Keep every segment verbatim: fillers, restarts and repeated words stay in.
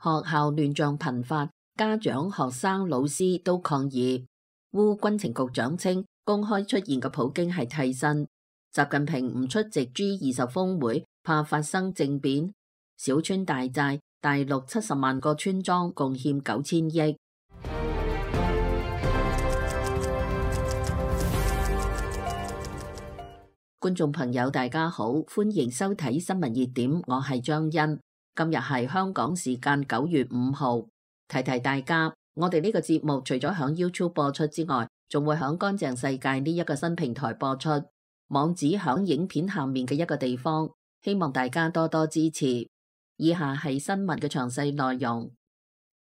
學校亂象頻發，家長、學生、老師都抗議。烏軍情局長稱，公開出現嘅普京係替身。習近平唔出席 G 二十峰會，怕發生政變。小村大寨，大陸七十萬個村莊貢獻九千億。觀眾朋友大家好，歡迎收睇新聞熱點，我係張欣。今日係香港時間九月五號，提提大家，我哋呢個節目除咗響 YouTube 播出之外，仲會響乾淨世界呢一個新平台播出，網址響影片下面嘅一個地方，希望大家多多支持。以下係新聞嘅詳細內容。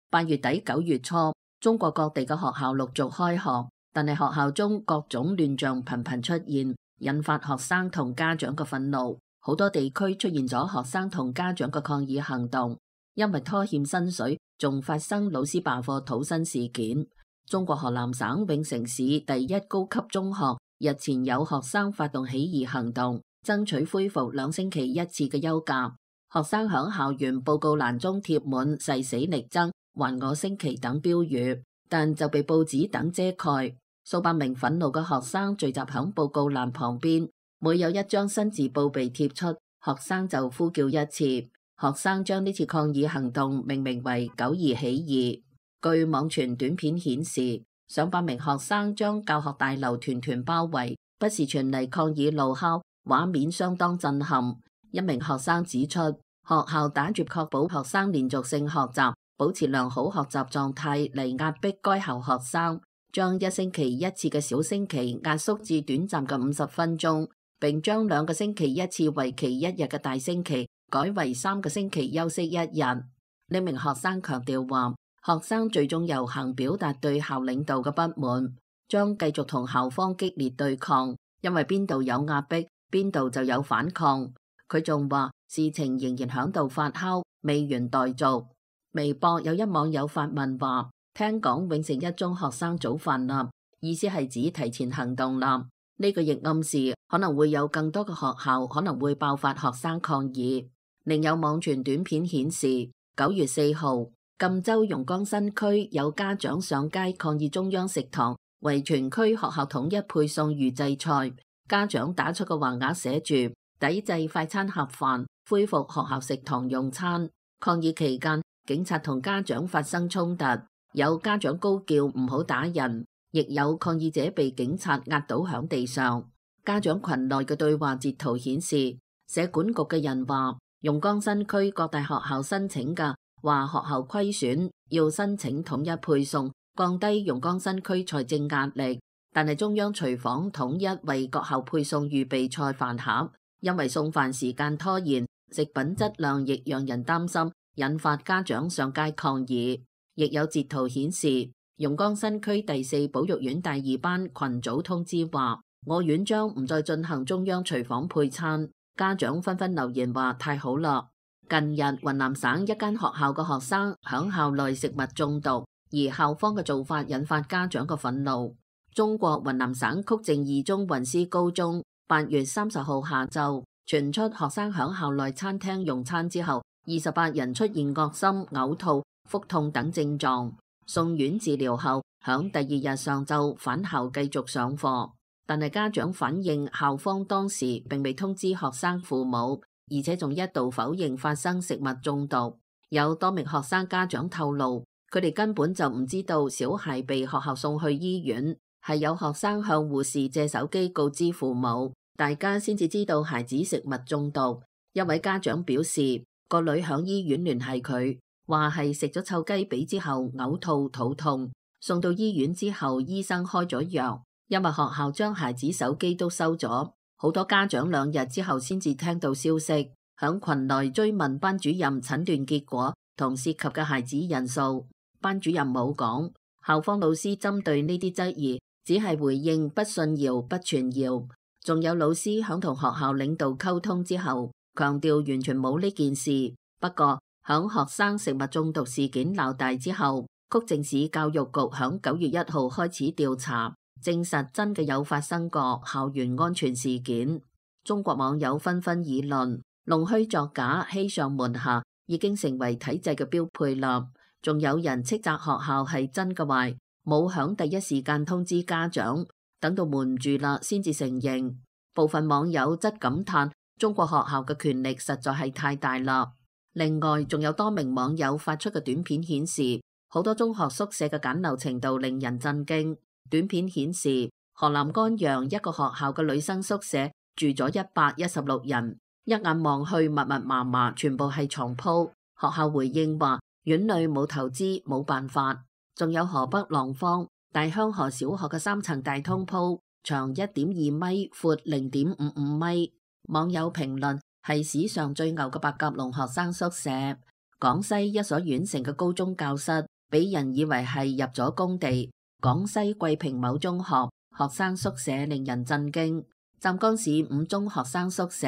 八月底九月初，中國各地嘅學校陸續開學，但係學校中各種亂象頻頻出現，引發學生同家長嘅憤怒。好多地區出現咗學生同家長嘅抗議行動，因為拖欠薪水，仲發生老師罷課討薪事件。中國河南省永城市第一高級中學日前有學生發動起義行動，爭取恢復兩星期一次嘅休假。學生響校園報告欄中貼滿誓死力爭、還我星期等標語，但就被報紙等遮蓋。數百名憤怒嘅學生聚集響報告欄旁邊，每有一張新字報被貼出，學生就呼叫一次。學生將呢次抗議行動命名為九二起義。據網傳短片顯示，上百名學生將教學大樓團團包圍，不時傳嚟抗議怒吼，畫面相當震撼。一名學生指出，學校打住確保學生連續性學習、保持良好學習狀態嚟壓迫該校學生，將一星期一次嘅小星期壓縮至短暫嘅五十分鐘，並將兩個星期一次為期一日嘅大星期改為三個星期休息一日。呢名學生強調話，學生最終遊行表達對校領導嘅不滿，將繼續同校方激烈對抗，因為邊度有壓迫，邊度就有反抗。佢仲話事情仍然響度發酵，未完待續。微博有一網友發文話，聽講永城一中學生早飯啦，意思係指提前行動啦。呢個亦暗示可能會有更多嘅學校可能會爆發學生抗議。另有網傳短片顯示，九月四號，贛州榕江新區有家長上街抗議中央食堂為全區學校統一配送預製菜，家長打出個橫額寫住抵制快餐盒飯，恢復學校食堂用餐。抗議期間，警察同家長發生衝突，有家長高叫唔好打人，亦有抗議者被警察壓倒響地上。家長群內嘅對話截圖顯示，社管局嘅人話，榕江新區各大學校申請嘅話學校虧損，要申請統一配送，降低榕江新區財政壓力。但係中央廚房統一為各校配送預備菜飯盒，因為送飯時間拖延，食品質量亦讓人擔心，引發家長上街抗議。亦有截圖顯示，榕江新區第四保育院大二班群組通知話，我院將唔再進行中央廚房配餐。家長紛紛留言話太好啦。近日雲南省一間學校嘅學生響校內食物中毒，而校方嘅做法引發家長嘅憤怒。中國雲南省曲靖二中雲師高中八月三十號下晝傳出學生響校內餐廳用餐之後，二十八人出現噁心、嘔吐、腹痛等症狀，送院治療後，響第二日上晝返校繼續上課。但係家長反映校方當時並未通知學生父母，而且仲一度否認發生食物中毒。有多名學生家長透露，佢哋根本就唔知道小孩被學校送去醫院，係有學生向護士借手機告知父母，大家先至知道孩子食物中毒。一位家長表示，個女響醫院聯繫佢，話係食咗臭雞髀之後嘔吐肚痛，送到醫院之後醫生開咗藥，因為學校將孩子手機都收咗。好多家長兩日之後先至聽到消息，響群內追問班主任診斷結果同涉及嘅孩子人數，班主任冇講。校方老師針對呢啲質疑，只係回應不信謠不傳謠。仲有老師響同學校領導溝通之後，強調完全冇呢件事。不過響學生食物中毒事件鬧大之後，曲靖市教育局響九月一號開始調查，證實真嘅有發生過校園安全事件。中國網友紛紛議論，弄虛作假，欺上瞞下，已經成為體制嘅標配啦。仲有人斥責學校係真嘅壞，冇響第一時間通知家長，等到瞞住啦先至承認。部分網友則感嘆中國學校嘅權力實在係太大啦。另外，仲有多名網友發出嘅短片顯示，好多中學宿舍嘅簡陋程度令人震驚。短片顯示，河南甘陽一個學校嘅女生宿舍住咗一百一十六人，一眼望去密密麻麻，全部係床鋪。學校回應話，院內冇投資，冇辦法。仲有河北廊坊大香河小學嘅三層大通鋪，長一點二米，闊零點五五米。網友評論係史上最牛嘅白鴿籠學生宿舍。廣西一所縣城嘅高中教室，俾人以為係入咗工地。廣西桂平某中學學生宿舍令人震驚。湛江市五中學生宿舍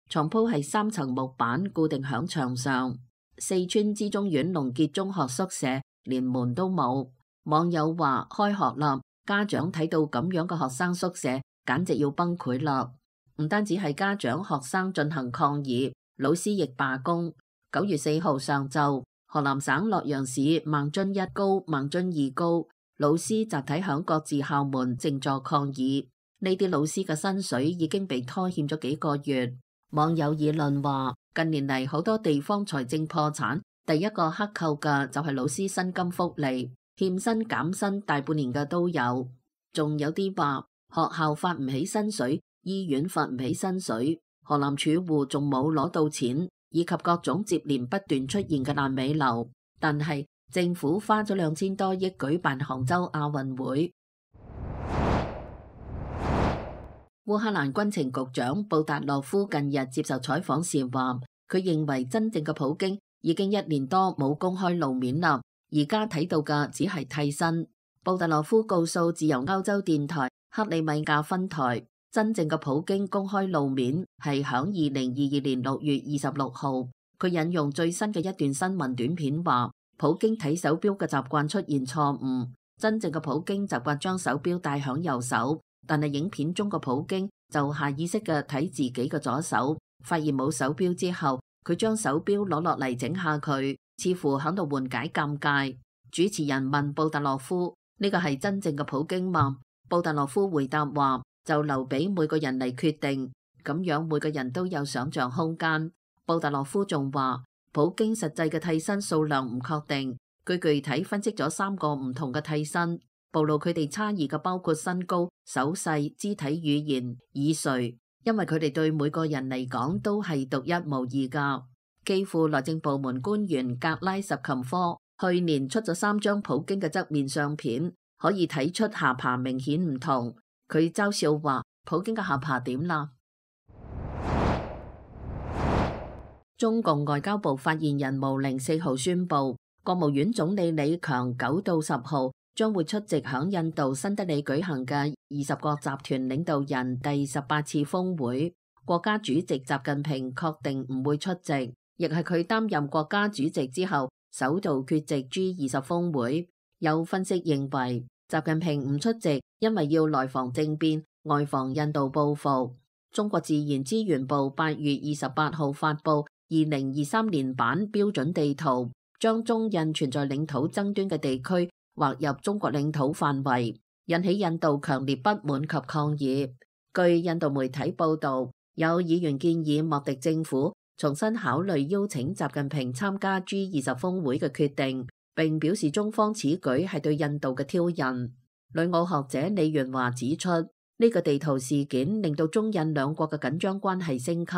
床鋪係三層木板固定響牆上。四川資中縣龍傑中學宿舍連門都冇。網友話開學啦，家長睇到咁樣嘅學生宿舍簡直要崩潰啦。唔單止係家長，學生進行抗議，老師亦罷工。九月四號上晝，河南省洛陽市孟津一高、孟津二高老師集體響各自校門靜坐抗議。呢啲老師嘅薪水已經被拖欠咗幾個月。網友議論話，近年嚟好多地方財政破產，第一個克扣嘅就係老師薪金福利，欠薪減薪大半年嘅都有。仲有啲話學校發唔起薪水，醫院發唔起薪水，河南儲戶仲冇攞到錢，以及各種接連不斷出現嘅爛尾樓。但係政府花咗兩千多億舉辦杭州亞運會。烏克蘭軍情局長布達洛夫近日接受採訪時話，佢認為真正嘅普京已經一年多冇公開露面啦，而家睇到嘅只係替身。布達洛夫告訴自由歐洲電台克里米亞分台，真正嘅普京公開露面係響二零二二年六月二十六號。佢引用最新嘅一段新聞短片話，普京睇手錶嘅習慣出現錯誤，真正嘅普京習慣將手錶戴響右手，但係影片中嘅普京就下意識嘅睇自己嘅左手，發現冇手錶之後，佢將手錶攞落嚟整下佢，似乎響度緩解尷尬。主持人問布達洛夫，呢個係真正嘅普京嗎？布達洛夫回答話，就留俾每個人嚟決定，咁樣每個人都有想象空間。布達洛夫仲話，普京實際嘅替身數量唔確定，佢具體分析咗三個唔同嘅替身，暴露佢哋差異嘅包括身高、手勢、肢體語言、耳垂，因為佢哋對每個人嚟講都係獨一無二噶。基輔內政部門官員格拉什琴科去年出咗三張普京嘅側面相片，可以睇出下巴明顯唔同。佢嘲笑話，普京嘅下巴點啦？中共外交部發言人毛寧四號宣布，國務院總理李強九到十號將會出席響印度新德里舉行嘅二十國集團領導人第十八次峰會。國家主席習近平確定唔會出席，亦係佢擔任國家主席之後首度缺席 G 二十峰會。有分析認為，習近平唔出席，因為要內防政變，外防印度報復。中國自然資源部八月二十八號發布二零二三年版標準地圖，將中印存在領土爭端嘅地區劃入中國領土範圍，引起印度強烈不滿及抗議。據印度媒體報道，有議員建議莫迪政府重新考慮邀請習近平參加 G 二十峰會嘅決定，並表示中方此舉係對印度嘅挑釁。旅澳學者李元華指出，呢個地圖事件令到中印兩國嘅緊張關係升級。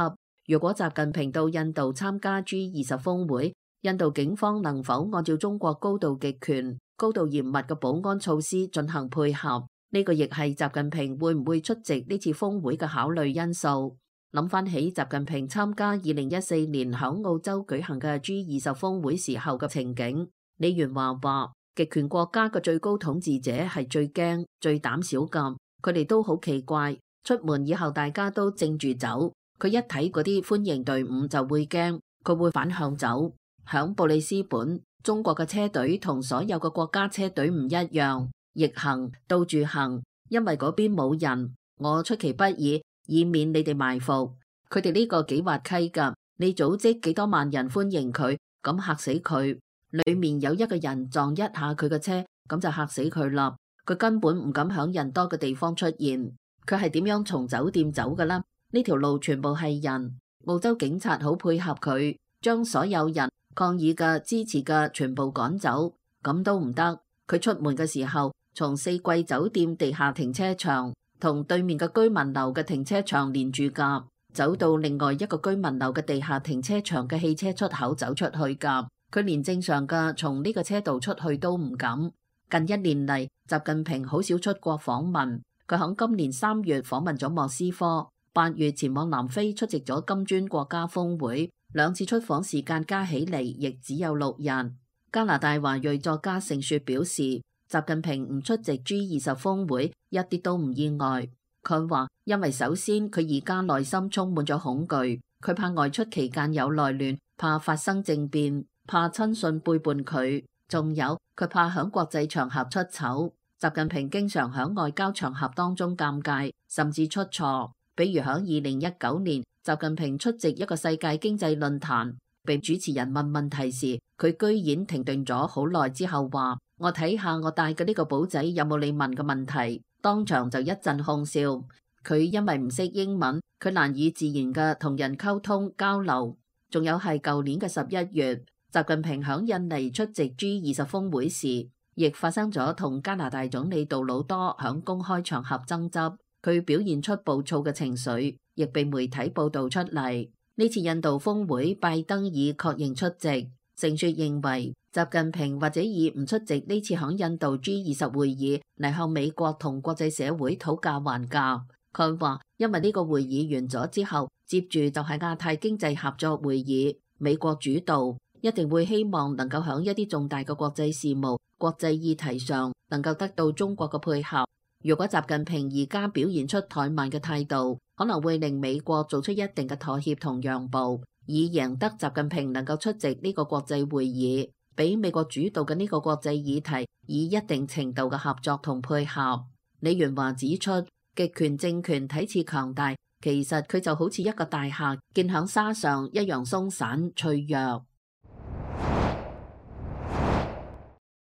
如果習近平到印度參加 G 二十峰會，印度警方能否按照中國高度極權、高度嚴密嘅保安措施進行配合？呢個亦係習近平會唔會出席呢次峰會嘅考慮因素。諗翻起習近平參加二零一四年響澳洲舉行嘅 G 二十峰會時候嘅情景，李元華話，極權國家嘅最高統治者係最驚、最膽小㗎，佢哋都好奇怪，出門以後大家都正住走。佢一睇嗰啲歡迎隊伍就會驚，佢會反向走。響布里斯本，中國嘅車隊同所有嘅國家車隊唔一樣，逆行、倒住行，因為嗰邊冇人。我出其不意，以免你哋埋伏。佢哋呢個幾滑稽㗎，你組織幾多萬人歡迎佢，咁嚇死佢。裏面有一個人撞一下佢嘅車，咁就嚇死佢啦。佢根本唔敢響人多嘅地方出現。佢係點樣從酒店走㗎啦？呢條路全部係人。澳洲警察好配合佢，將所有人抗議嘅、支持嘅全部趕走。咁都唔得。佢出門嘅時候，從四季酒店地下停車場同對面嘅居民樓嘅停車場連住㗎，走到另外一個居民樓嘅地下停車場嘅汽車出口走出去㗎。佢連正常嘅從呢個車道出去都唔敢。近一年嚟，習近平好少出國訪問。佢喺今年三月訪問咗莫斯科，八月前往南非出席咗金磚國家峰會，兩次出訪時間加起嚟亦只有六日。加拿大華裔作家盛雪表示，習近平唔出席 G 二十峰會一啲都唔意外。佢話因為首先佢而家內心充滿咗恐懼，佢怕外出期間有內亂，怕發生政變，怕親信背叛佢，仲有佢怕響國際場合出醜。習近平經常響外交場合當中尷尬，甚至出錯。比如響二零一九年，習近平出席一個世界經濟論壇，被主持人問問題時，佢居然停頓咗好耐之後話：我睇下我帶嘅呢個簿仔有冇你問嘅問題。當場就一陣哄笑。佢因為唔識英文，佢難以自然嘅同人溝通交流。仲有係舊年嘅十一月，習近平響印尼出席 G 二十峰會時，亦發生咗同加拿大總理杜魯多響公開場合爭執，佢表現出暴躁嘅情緒，亦被媒體報導出嚟。呢次印度峰會，拜登已確認出席。盛雪認為，習近平或者以唔出席呢次響印度 G 二十會議嚟向美國同國際社會討價還價。佢話，因為呢個會議完咗之後，接住就係亞太經濟合作會議，美國主導，一定會希望能夠響一啲重大嘅國際事務、國際議題上能夠得到中國嘅配合。如果習近平而家表現出怠慢嘅態度，可能會令美國做出一定嘅妥協同讓步，以贏得習近平能夠出席呢個國際會議，俾美國主導嘅呢個國際議題以一定程度嘅合作同配合。李元華指出，極權政權睇似強大，其實佢就好似一個大廈建響沙上一樣鬆散脆弱。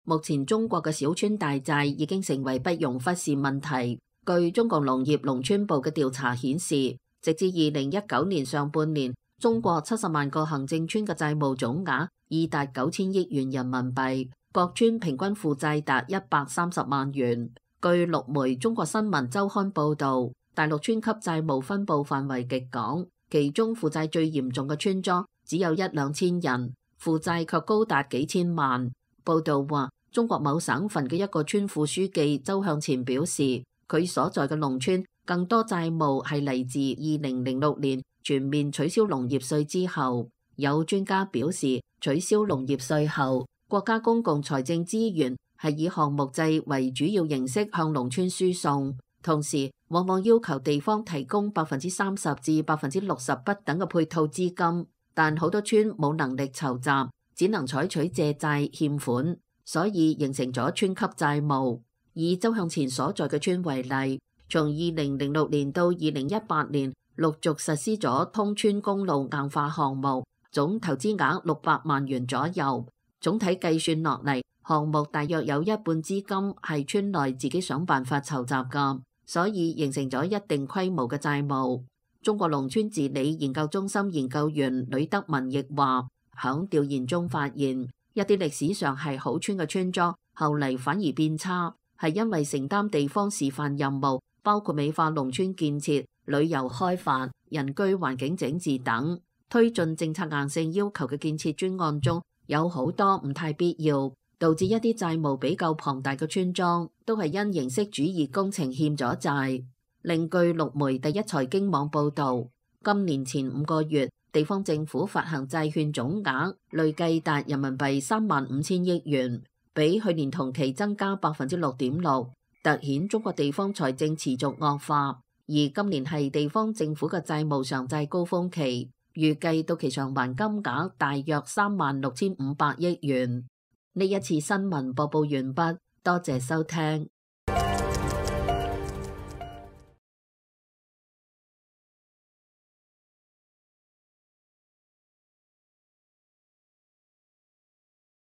目前中國嘅小村大寨已經成為不容忽視問題。據中國農業農村部嘅調查顯示，直至二零一九年上半年，中國七十萬個行政村嘅債務總額已達九千億元人民幣，各村平均負債達一百三十萬元。據陸媒《中國新聞週刊》報導，大陸村級債務分佈範圍極廣，其中負債最嚴重嘅村莊只有一兩千人，負債卻高達幾千萬。報導話，中國某省份嘅一個村副書記周向前表示，佢所在嘅農村更多債務係嚟自二零零六年全面取消農業稅之後。有專家表示，取消農業稅後，國家公共財政資源係以項目制為主要形式向農村輸送，同時往往要求地方提供百分之三十至百分之六十不等嘅配套資金，但好多村冇能力籌集，只能採取借債欠款，所以形成咗村級債務。以周向前所在嘅村為例，從二零零六年到二零一八年，陸續實施咗通村公路硬化項目，總投資額六百萬元左右。總體計算落嚟，項目大約有一半資金係村內自己想辦法籌集㗎，所以形成咗一定規模嘅債務。中國農村治理研究中心研究員呂德文亦話，響調研中發現，一啲歷史上係好村嘅村莊，後嚟反而變差，係因為承擔地方示範任務，包括美化農村建設、旅遊開發、人居環境整治等，推進政策硬性要求嘅建設專案中，有好多唔太必要，導致一啲債務比較龐大嘅村莊都係因形式主義工程欠咗債。另據陸媒第一財經網報導，今年前五個月，地方政府發行債券總額累計達人民幣三萬五千億元，比去年同期增加百分之六點六，凸顯中國地方財政持續惡化。而今年係地方政府嘅債務償債高峰期，預計到期償還金額大約三萬六千五百億元。呢一次新聞播報完畢，多謝收聽。